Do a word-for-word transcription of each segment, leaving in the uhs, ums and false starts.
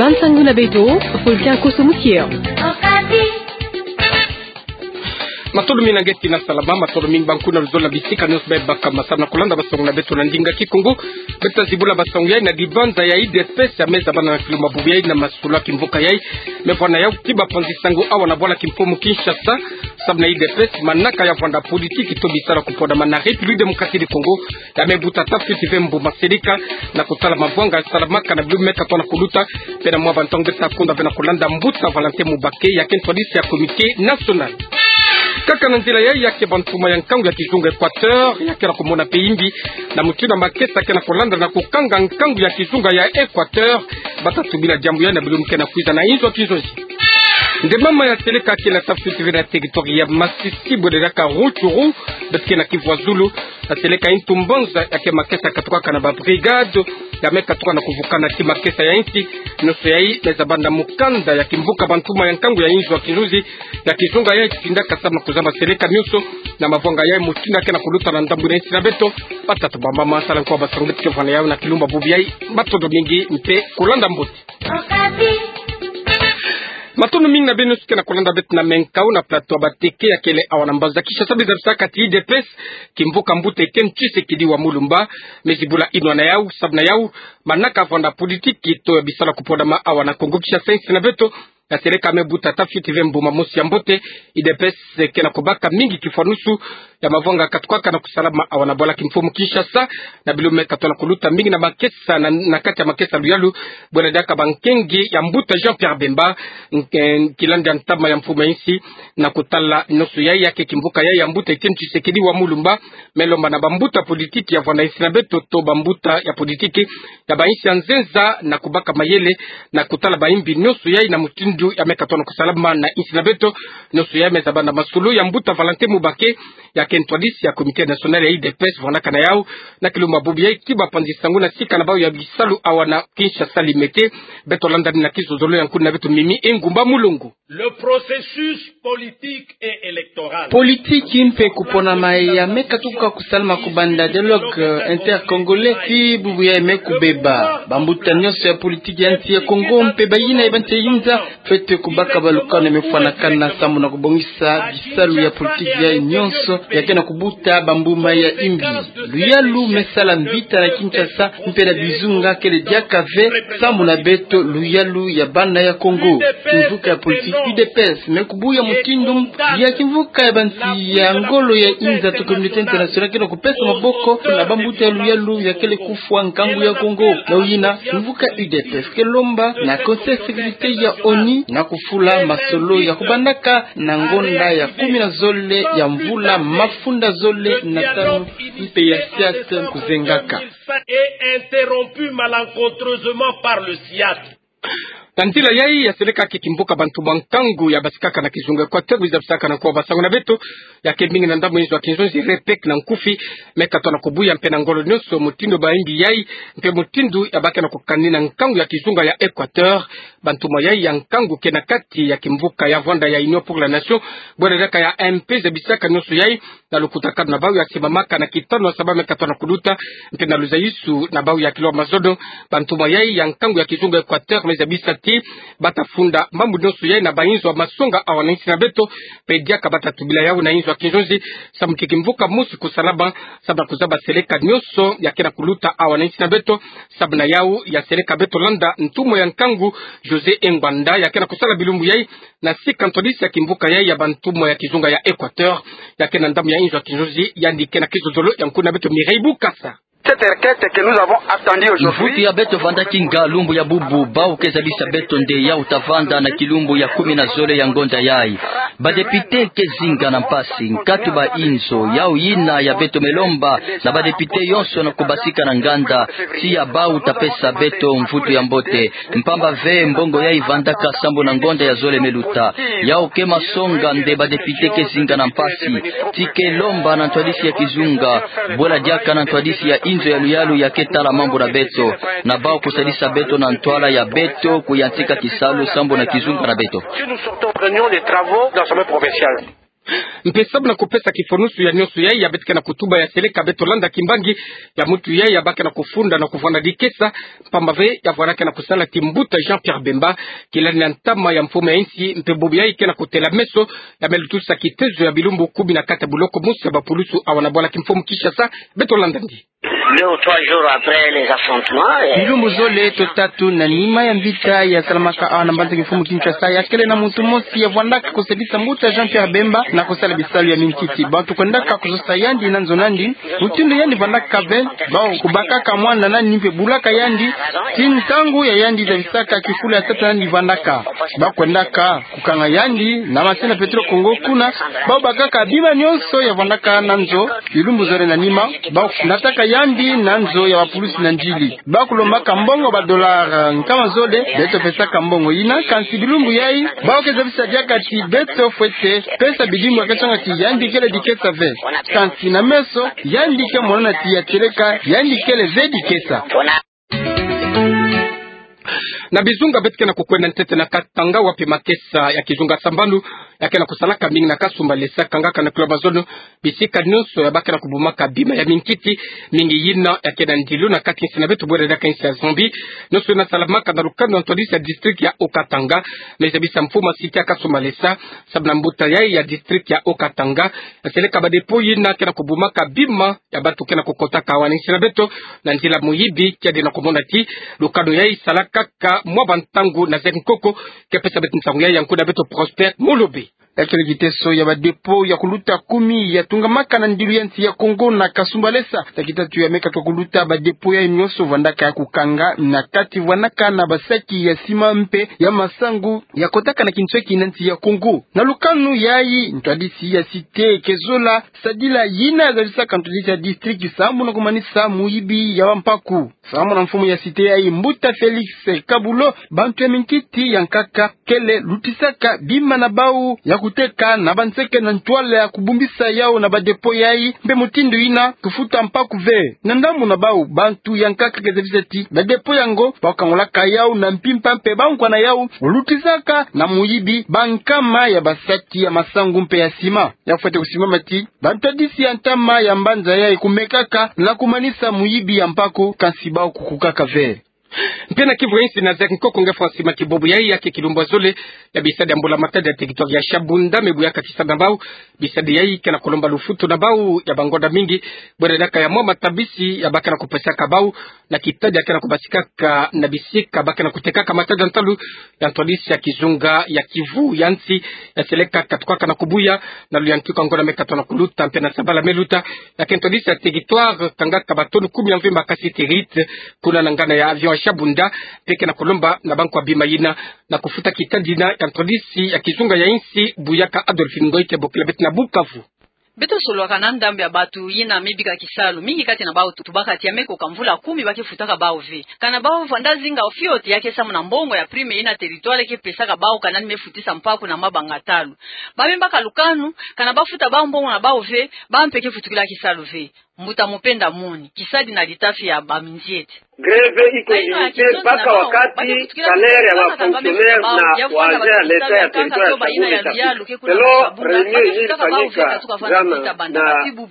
Bansangu na beto, Fulcan Koso Mutier. Matondo mingi na ngeti na salama, matondo mingi banku na luzolo na bisika nyonso bebakama samu na kulanda bansangu na beto na ndinga Kikongo. Beto tazibula bansangu yai na dibanza ya I D P S, ya me zabana na kilumbu bubu yai na masolo ya kimvuka yai. Me vwanda yau, kiba panzi sangu awa na bwala kimfumu Kinshasa, samu na I D P S, manaka ya vwanda politiki to bisalu ya kupodama na République Démocratique du Congo, ya me buta tata fioti ve mbuma seleka, na kutala mavwanga salamaka na bilumbu me katoa na kuluta, mpe na mwa bantangu nge ta kunda ve na kulanda mbuta Valentin Mubake, ya ke ntwadisi ya Comité National. Kaka na nzila yai, ya ke bantuma ya nkangu ya kizunga Équateur, ya ke na kumona mpe imbi, na mutindu ya makesa ke na kulanda na kukanga nkangu ya kizunga ya Équateur, bata tubila diambu yai na bilumbu ke na kwiza na inzo ya kinzonzi. Nde mama ya seleka kele tata fioti ve na territoire ya Masisi, bwela diaka Rutshuru, beto ke na Kivu ya Zulu, na seleka Intumbanza, ya ke makesa katukaka na ba brigade, ya me katuka na kuvukana ti makesa ya insi, nyonso yai me zabana na mukanda ya kimvuka bantuma ya nkangu ya inzo ya kinzonzi, ya kizunga yai tindaka samu na kuzaba seleka nyonso, na mavwanga yai mutindu ya ke na kuluta na ndambu na insi na beto, batata bamama, sala nkoa bansangu beto ke vwanda yau na kilumbu bubu yai, matondo mingi mpe kulanda mbote. Matondo mingi na beno nyonso ke na kulanda beto na menkao na plateau ya Bateke ya kele awa na mbanza Kinshasa, biza bisaka ti I D P S, kimvuka mbuta Etienne Tshisekedi wa Mulumba, me zibula inwa na yau, samu na yau, manaka vwanda politiki to ya bisalu ya kupodama awa na Kongo Kinshasa, insi na beto, ya seleka me buta tata fioti ve mbuma mosi ya mbote. I D P S ke na kubaka mingi kifwanusu ya mavwanga katukaka na kusalama awa na bwala kimfumu Kinshasa, na bilumbu me katoa na kuluta, mingi na makesa na, na kati ya makesa luyalu, bwela diaka bankengi ya mbuta Jean-Pierre Bemba, nke-, nkilandi ya ntama ya mfumu ya insi, na kutala nyonso yai, ya ke kimvuka yai ya mbuta Etienne Tshisekedi wa Mulumba, me lomba na bambuta politiki ya vwanda insi na beto to bambuta ya politiki ya ba insi ya nzenza na kubaka mayele, na kutala ba imbi nyonso yai na mutindu ya me katoa na kusalama na insi na beto. Nyonso yai me zabana na masolo ya mbuta Valentin Mubake, ya ke ntwadisi ya Comité National ya I D P S, vwandaka na yau na kilumbu bubu yai, kiba panzi sangu na sika na bau ya bisalu awa na Kinshasa Limete. Beto landa na kizozolo ya nkuna beto Mimi Engumba Mulongo. Le processus politique et électoral. Politiki mpe kuponama ya me katuka kusalama kubanda dialogue intercongolais, ti bubu yai me kubeba. Bambuta nyonso ya politiki ya nsi ya Kongo mpe bayina ya bansi ya inza fwete kubaka balukanu ya me fwanakana samu na kubongisa bisalu ya politiki yai nyonso ya ke na kubuta bambuma ya imbi. Luyalu me sala mvita na Kinshasa mpe na bizunga kele diaka ve samu na beto luyalu ya bana ya Kongo. Kimvuka ya politiki U D P S me kubuya mutindu ya kimvuka ya bansi ya ngolo ya inza to communauté internationale ke na kupesa maboko na bambuta ya luyalu ya kele kufwa nkangu ya Kongo. Na yina, kimvuka U D P S ke lomba na Conseil de sécurité ya ONU na kufula masolo ya kubandaka na ngonda ya kumi na zole ya mvula mafunda zole na tanu, mpe ya SIAT kuzengaka. Et interrompu malencontreusement par le SIAT. Na nzila yai, ya seleka ke kimvuka bantuma ya nkangu ya basikaka na kizunga Équateur, biza bisaka na nkoa bansangu na beto, ya ke mingi na ndambu inzo ya kinzonzi, REPEC na nkufi, me katoa na kubuya mpe na ngolo nyonso mutindu ba imbi yai, mpe mutindu ya ba ke na kukanina nkangu ya kizunga ya Équateur. Bantuma yai ya nkangu ke na kati ya kimvuka ya vwanda ya Union pour la Nation, bwela diaka ya M P, zabisaka nyonso yai na lukutakanu na bau ya simamaka na kitanu ya saba me katoa na kuluta, mpe na luzayisu na bau ya kilo ya mazono. Bantuma yai ya nkangu ya kizunga Équateur me zabisa ti bata funda mambu nyonso yai na ba inzo ya masonga awa na insi na beto, mpe diaka bata tubila yau na inzo ya kinzonzi, samu ke kimvuka mosi kusalama, samu na kuzaba seleka nyonso ya ke na kuluta awa na insi na beto. Samu na yau, ya seleka beto landa ntuma ya nkangu José Engwanda, ya ke na kusala bilumbu yai na sika ntwadisi ya kimvuka yai ya bantuma ya kizunga ya Équateur, ya ke na ndambu ya inzo ya kinzonzi, yandi ke na kizozolo ya nkuna beto Mireille Bukasa. Cette requête que nous avons attendue aujourd'hui. Mvutu ya beto vandaki nga lumbu ya bubu, bau ke zabisa beto nde yau ta vanda na kilumbu ya kumi na zole ya ngonda yai. Ba député ke zinga na mpasi, nkatu ba inzo, yau yina ya beto me lomba na ba député yonso na kubasika na nganda, tiya bau ta pesa beto mvutu ya mbote. Mpamba ve mbongo yai vandaka sambu na ngonda ya zole me luta. Yau ke masonga nde ba député ke zinga na mpasi. Ti ke lomba na ntwadisi ya kizunga, bwela diaka na ntwadisi ya inzo ya luyalu ya ke tala mambu na beto, na bau kusadisa beto na ntwala ya beto kuyantika kisalu sambu na kizunga na beto. Si nous sortons, prenons les travaux de l'Assemblée provinciale. Mpe sababu na kupesa kifonusu ya nionso yayi ya beto ke na kutuba ya seleka beto landa kimbangi ya muntu yayi ya baka na kufunda na kuvwanda dikesa, mpamba ve ya vwanda ke na kusala ti mbuta Jean-Pierre Bemba, kilani na ntama ya mfumu ya insi, mpe bobo yayi ke na kutela meso ya me lutusa kitezo ya bilumbu kumi na kati ya buloko mosi ya bapulusu awa na bwala kimfumu Kinshasa. Beto landa ndi. Deux ou trois jours après les affrontements, eh, bilumbu zole to tatu na nima ya mvita ya salamaka awa na mbanza kimfumu Kinshasa, ya kele na muntu mosi ya vwandaka kusadisa mbuta Jean-Pierre Bemba na kusala bisalu ya mintiti. Bantu kwendaka kuzosa yandi na nzo nandi, mutindu yandi vwandaka ve, bawu kubakaka mwana nani mpe bulaka yandi, ti ntangu ya yandi zabisaka kifulu ya tata nani vwandaka. Bawu kwendaka kukanga yandi na masina Petro Congo kuna, bawu bakaka bima nionso ya vwandaka na nzo. Bilumbu zole na nima, bawu nataka yandi na nzo ya bapulusi na ndili. Bawu kulombaka mbongo ba dollars nkama zole, beto pesaka mbongo yina, kansi bilumbu yayi, bawu ke zabisa diaka ti beto fwete pesa bidimbu ya ke songa ti yandi kele dikesa ve. Kansi na meso, yandi ke monana ti ya seleka, yandi kele ve dikesa. Na bizunga beto ke na kukwenda ntete na Katanga, wapi makesa ya kizunga sambanu ya ke na kusalaka mingi na Kasumbalesa, kangaka na Cloison, bisika nionso ya baka na kubumaka bima ya mintiti, mingi yina ya ke na ndilu na kati nsi na beto bwera diaka nsi ya Zambie. Nionso yina salamaka na lukanu ya ntwadisi ya district ya Haut-Katanga, me zabisa mfumu ya cité ya Kasumbalesa, sababu na mbuta yayi ya district ya Haut-Katanga ya seleka ba dépôt yina ke na kubumaka bima ya bantu ke na kukotaka awa na nsi na beto na nzila muyibi. Kiadi na kumona ti lukanu yayi salaka kaka mwa bantangu na zeke nkoko. Ke pesa beto nsangu yayi ya nkundi ya beto Prosper Molobe. Ya kele kiteso ya ba dépôt ya kuluta kumi ya tungamaka na ndilu ya nsi ya Congo na Kasumbalesa. Ya kitatu ya me katuka kuluta ba dépôt yayi nionso vwandaka ya kukanga na kati vwanaka na basaki ya sima mpe ya masangu ya kotaka na kinsweki na nsi ya Congo. Na lukanu yayi, ntwadisi ya cité ke zola sadila yina ya zabisaka ntwadisi ya district samu na kumanisa muyibi ya bampaku. Samu na mfumu ya cité yayi, mbuta Félix Kabulo, bantu ya mintiti ya nkaka kele lutisaka bima na bawu ya kuteka na banseke na ntwala ya kubumbisa yawu na ba dépôt yayi, mpe mutindu yina kufuta mpaku ve. Na ndambu na bawu, bantu ya nkaka ke zabisa ti ba dépôt yango bawu kangolaka yawu na mpimpa mpe bawu nkwa na yawu lutisaka na muyibi bankama ya basaki ya masangu mpe ya sima. Ya fwete kusimama ti bantwadisi ya ntama ya mbanza yayi kumekaka na kumanisa muyibi ya mpaku, kansi bawu kukukaka ve. Mpe na Kivu ya insi na zeke nkoko nge Francis Makibobo, yayi ya ke kilumbu ya zole ya bisadi ya mbula matadi ya territoire ya Shabunda, me buyaka tisadi na bawu. Bisadi yayi ke na kulomba lufutu na bawu ya bangonda mingi, bwera diaka ya mwa matabisi ya ba ke na kupesaka bawu na kitadi ya ke na kubasikaka na bisika ba ke na kutekaka matadi ya ntalu ya ntwadisi ya kizunga ya Kivu ya insi, ya seleka katukaka na kubuya na luyantiku ya ngonda me katuka na kuluta mpe na sabala me luta. Ya ke ntwadisi ya territoire kangaka ba tonnes kumi ya mvimba kasi terite kuna na ngana ya avion ya Shabunda, mpe ke na kulomba na bankwa bima yina na kufuta kitadi yina ya ntwadisi ya kizunga ya insi. Buyaka Adolphine Ngoy ke bokila beto na Bukavu. Beto solwaka na ndambu ya bantu yina me bika kisalu, mingi kati na bawu tu-, tubaka ti ya me koka mvula kumi ba ke futaka bawu ve. Kana bawu vwanda zinga fioti ya ke samu na mbongo ya prime yina territoire ke pesaka bawu kana ni me futisa mpaku na mabanga ntalu. Ba me baka lukanu, kana ba futa bawu mbongo na bawu ve, bawu mpe ke futukila kisalu ve. Mbuta Mupenda Muni, kisadi na litafi ya ba minziete. Grève iko limite mpaka wakati salaire ya wa fonctionnaire na wa agent ya l'État ya territoire ya Shabunda itafika. Selon réunion yenye ilifanyika jana na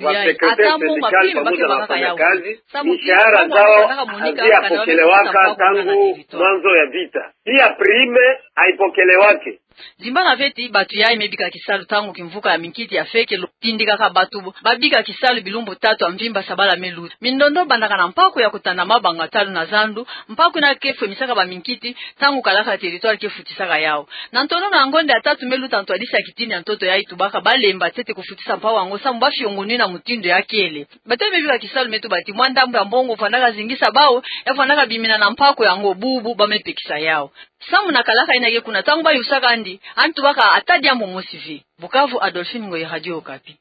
wa secrétaire syndical pamoja na wafanyakazi, mishahara zao haziyapokelewaka tangu mwanzo ya vita. Pia prime haipokelewake. Zimbana ve ti bantu yayi me bika kisalu ntangu kimvuka ya minkiti ya fekelo, tindikaka bantu ba bika kisalu bilumbu tatu ya mvimba sabala me luta. Mindondo bandaka na mpaku ya kutanda mabanga ntalu na zandu, mpaku yina ke fwemisaka ba minkiti ntangu kalaka territoire ke futisaka yawu. Na ntonono ya ngonda ya tatu me luta, ntwadisi ya kitini ya ntoto yayi tubaka ba lemba ntete kufutisa mpaku yango samu ba fiongonina mutindu ya kele. Bantu yayi me bika kisalu me tuba ti mwa ndambu ya mbongo vwandaka zingisa bawu, ya vwandaka bimina na mpaku yango, bubu ba me pekisa yawu. Samu na kalaka yina ke kuna, ntangu ba yusaka yandi, yandi tubaka ata diambu mosi ve. Bukavu, Adolphine Ngoy, Radio Okapi.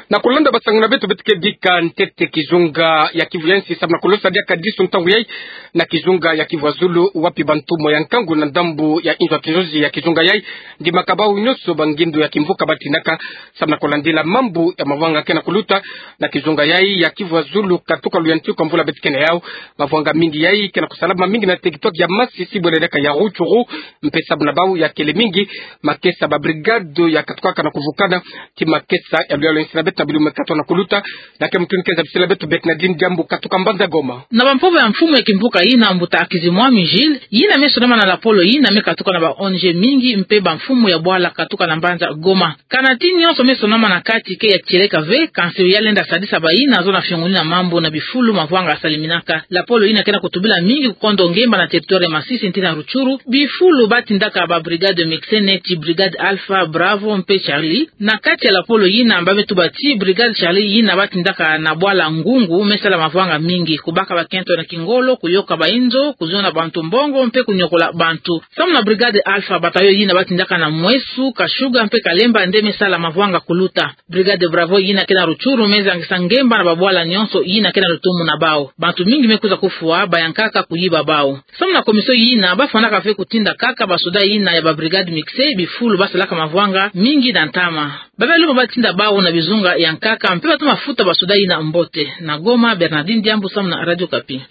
Na kulanda basango na beto, beto ke bika ntete kizunga ya Kivu ya nsi samu na kulosa diaka disu ntangu yayi na kizunga ya Kivu ya Zulu, wapi bantumo ya nkangu na ndambu ya inzo ya kinzozi ya kizunga yayi ndimaka bawu nyonso bangindo ya kimvuka batindaka samu na kulandila mambu ya mavanga ke na kuluta na kizunga yayi ya Kivu ya Zulu. Katuka luyantiku ya mvula beto ke na yawu, mavanga mingi yayi ke na kusalama mingi na territoire ya Masisi, bwela diaka ya Rutshuru, mpe samu na bawu ya kele mingi makesa ba brigade ya katukaka na kuvukana ti makesa ya luyalu ya nsi na beto na bilumbu me katuka na kuluta. Na ke mutu ni ke zabisila beto Bernardine Diambu katuka mbanza Goma. Na bampova ya mfumu ya kimvuka yina, mbuta Akizimwami Gilles, yina me sonama na lapolo yina me katuka na ba O N G mingi mpe bamfumu ya bwala katuka na mbanza Goma. Kana ti nyonso me sonama na kati ke ya tieleka ve, kansi ya lenda sadisa bayina zo na fiongonina mambu na bifulu mavanga saliminaka. Lapolo yina ke na kutubila mingi kukondo ngemba na territoire ya Masisi nti na Rutshuru, bifulu batindaka ba brigade mixte neti brigade Alpha, Bravo mpe Charlie. Na kati ya lapolo yina ba me tuba ti brigade Charlie yina batindaka na bwala Ngungu me sala mavanga mingi, kubaka bakento na kingolo, kuyoka bainzo, kuzona bantu mbongo mpe kunyokola bantu. Samu na brigade Alpha, bataillon yina batindaka na Mweso, Kashuga mpe Kalemba nde me sala mavanga kuluta. Brigade Bravo yina ke na Rutshuru me zangisa ngemba na babwala nyonso yina ke na lutumu na bawu. Bantu mingi me kwiza kufwa, bayankaka kuyiba bawu. Samu na commission yina, bafwanaka ve kutinda kaka basoda yina ya ba brigade mixte bifulu basalaka mavanga mingi na ntama. Ba me lomba batinda bawu na bizunga ya nkaka mpe batoma futa basoda yina mbote. Na Goma, Bernardine Diambu samu na Radio Okapi.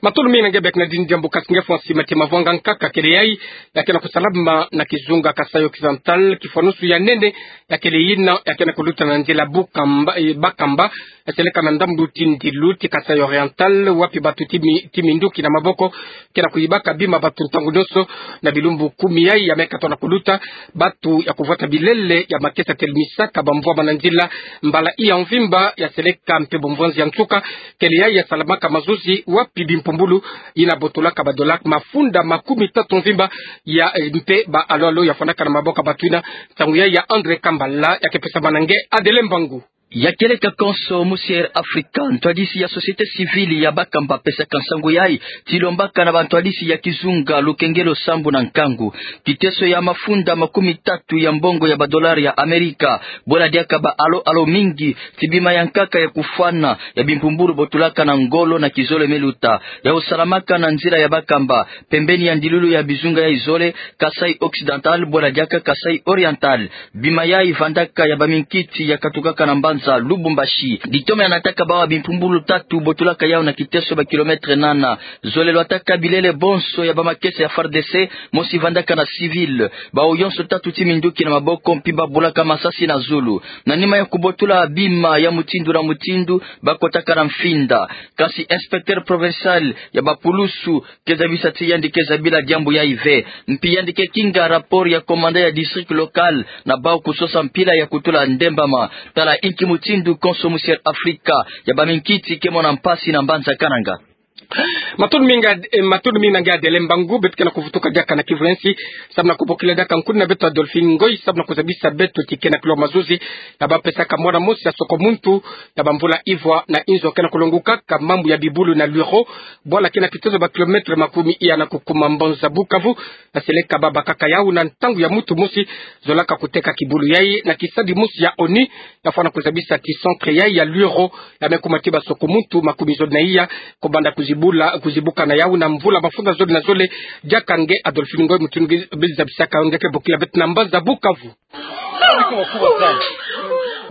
Matondo mingi na nge Bernardine Diambu. Kasi nge fwa nsima ti mavanga nkaka kele yayi ya ke na kusalama na kizunga Kasaï Occidental, kifwanusu ya nene ya kele yina ya ke na kuluta na nzila Bukamba, eh, Bakamba, ya seleka na ndambu ti ndilu ti Kasaï Oriental, wapi batu ti mi-, ti minduki na maboko ke na kuyibaka bima batu ntangu nyonso. Na bilumbu kumi yayi ya me katuka na kuluta, batu ya kuvwata bilele ya makesa ya telemisaka bamvwama na nzila mbala iya mvimba ya seleka mpe bomvwanzi ya nsuka kele yayi ya salamaka mazuzi, wapi bimpumbulu yina botolaka ba dollars mafunda makumi tatu mvimba ya, eh, mpe ba alo-alo ya fwanaka na maboko ya batu yina. Nsangu yayi ya André Kambala ya ke pesama na nge Adele Mbangu. Ya kieleka konso musi Air Africa, ntwadisi ya société civile ya Bakamba apesaka nsangu yayi ti lombaka na bantwadisi ya kizunga lukengelo sambu na nkangu, kiteso ya mafunda makumi tatu ya mbongo ya ba dollars ya Amerika, bwela diaka ba alo-alo mingi ti bima ya nkaka ya kufwana ya bimpumbulu botulaka na ngolo na kizole me luta, ya osalamaka na nzila ya Bakamba, pembeni ya ndilulu ya bizunga yayi zole, Kasaï Occidental bwela diaka Kasaï Oriental. Bima yayi vandaka ya baminkiti ya katukaka na mbanza Lubumbashi. Litoma ya nataka bawu bimpumbulu tatu botulaka yawu na kiteso ba kilomètres nana. Zole lwataka bilele bonso ya bamakesa ya F A R D C, mosi vandaka na civil. Bawu yonso tatu ti minduki na maboko mpi babulaka masasi na zulu. Na nima ya kubotula bima ya mutindu na mutindu, bakotaka na mfinda. Kasi inspecteur provincial ya bapulusu ke zabisa ti yandi ke zabila diambu yayi ve. Mpi yandi ke kinga rapport ya commandant ya district local na bawu kusosa mpila ya kutula ndembama. Tala inki mutindu konso musi Air Africa ya baminkiti ke mona mpasi na mbanza Kananga. Matondo mingi, eh, matondo mingi na nge Adele Mbangu. Beto ke na kuvutuka diaka na Kivu ya nsi samu na kubokila diaka nkuna na beto Adolphine Ngoy samu na kuzabisa beto ti ke na kilwa mazuzi ya bapesaka mwana mosi ya soko muntu ya bamvula ivwa na inzo ke na kulongukaka mambu ya bibulu na Luiro, bwala ke na kiteso ba kilomètres makumi iya na kukuma mbanza Bukavu, ya seleka babakaka yawu na ntangu ya mutu mosi. Zolaka kuteka kibulu yayi na kisadi mosi ya ONU, ya fwana kuzabisa ti centre yayi ya Luiro ya me kuma ti ba soko muntu makumi zole na iya, kubanda kuzibula, kuzibuka na yawu na mvula mafunda zole na zole. Diaka nge Adolphine Ngoy, mutu nge zabisaka, nge ke bokila beto na mbanza Bukavu.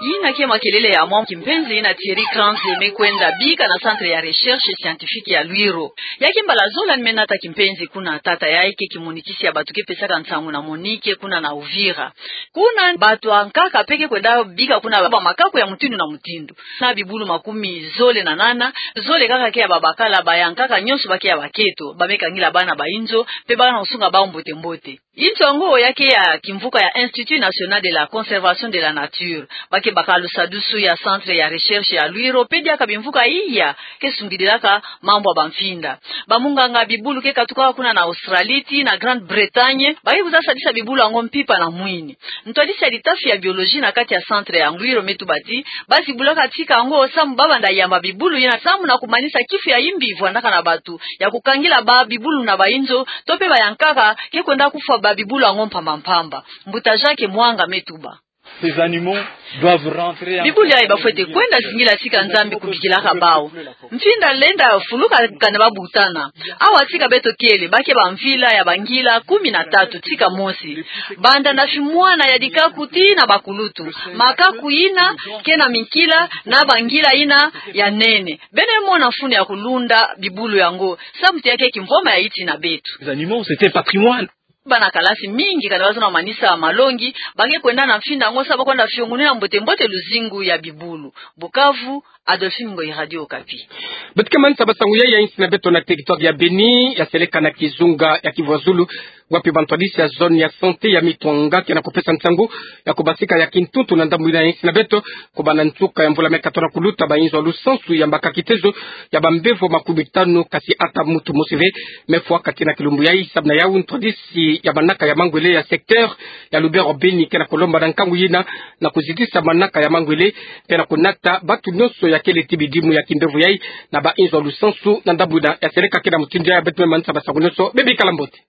Yina ke makelele ya mwa kimpenzi yina Thierry Kranz me kwenda bika na centre ya recherche scientifique ya Luiro. Ya ke mbala zola ni me nata kimpenzi kuna. Tata yayi ke kimonikisi ya batu ke pesaka nsangu na Monique kuna na Uvira. Kuna batu ya nkaka mpe ke kwenda bika kuna ba makaku ya mutindu na mutindu. Na bibulu makumi zole na nana, zole kaka ke ya babakala, bayankaka nyonso ba ke ya baketo, ba me kangila bana ba inzo, mpe bana kusunga bawu mbote mbote. Inzo yango ya ke ya kimvuka ya Institut National de la Conservation de la Nature. Ba ke baka lusadusu ya centre ya recherche ya Luiro, mpe diaka bimvuka iya ke sungidilaka mambu ya bamfinda. Bamunganga bibulu ke katuka kuna na Australie tii na Grande-Bretagne, ba ke kwiza sadisa bibulu yango mpimpa na mwini. Ntwadisi ya litafi ya biologie na kati ya centre ya Luiro me tuba ti ba zibulaka tika yango samu ba banda yamba bibulu yina samu na kumanisa kifu ya imbi vwandaka na batu, ya kukangila ba bibulu na ba inzo, to mpe bayankaka ke kwenda kufwa ba bibulu yango mpamba mpamba. Mbuta Jacques Mwanga me tuba. Ces animaux doivent rentrer en... Bibulu yayi bafwete kwenda zingila tika Nzambi kubikilaka bawu. Mfinda lenda fuluka kana babutana. Awa tika beto kele, ba ke bamvila ya bangila kumi na tatu tika mosi. Banda na fimwana ya dikaku tii na bakulutu. Makaku yina ke na minkila na bangila yina ya nene. Beno mona mfunu ya kulunda bibulu yango. Samu ti ya ke kimvwama ya yiti na beto. Les animaux, c'est un patrimoine. Bana kalasi mingi kana bazono manisa malongi, ba ke kwenda na mfinda yango samu ba kwenda fiongonela mbote mbote luzingu ya bibulu. Bukavu, Adolphine Ngoyi, Radio Okapi. Beto ke manisa basangu yayi ya insi na beto na territoire ya Beni, ya seleka na kizunga ya Kivu ya Zulu, wapi bantwadisi ya zone ya santé ya Mitwanga ke na kupesa nsangu ya kubasika ya kintuntu na ndambu yina ya insi na beto, kubanda nsuka ya mvula me kato na kuluta, ba inzo ya lusansu ya mbaka kitezo ya bambevo makumi tanu, kasi ata muntu mosi ve me fwa kati na kilumbu yayi. Samu na yawu, ntwadisi ya manaka ya mangwele ya secteur ya Lubero Beni ke na kulomba na nkangu yina na kuzitisa manaka ya mangwele, mpe na kunata batu nyonso ya kele ti bidimu ya kimbevo yayi na ba inzo ya lusansu na ndambu yina ya seleka. Ke na mutindu yayi beto me manisa basangu nyonso. Beno bikala mbote.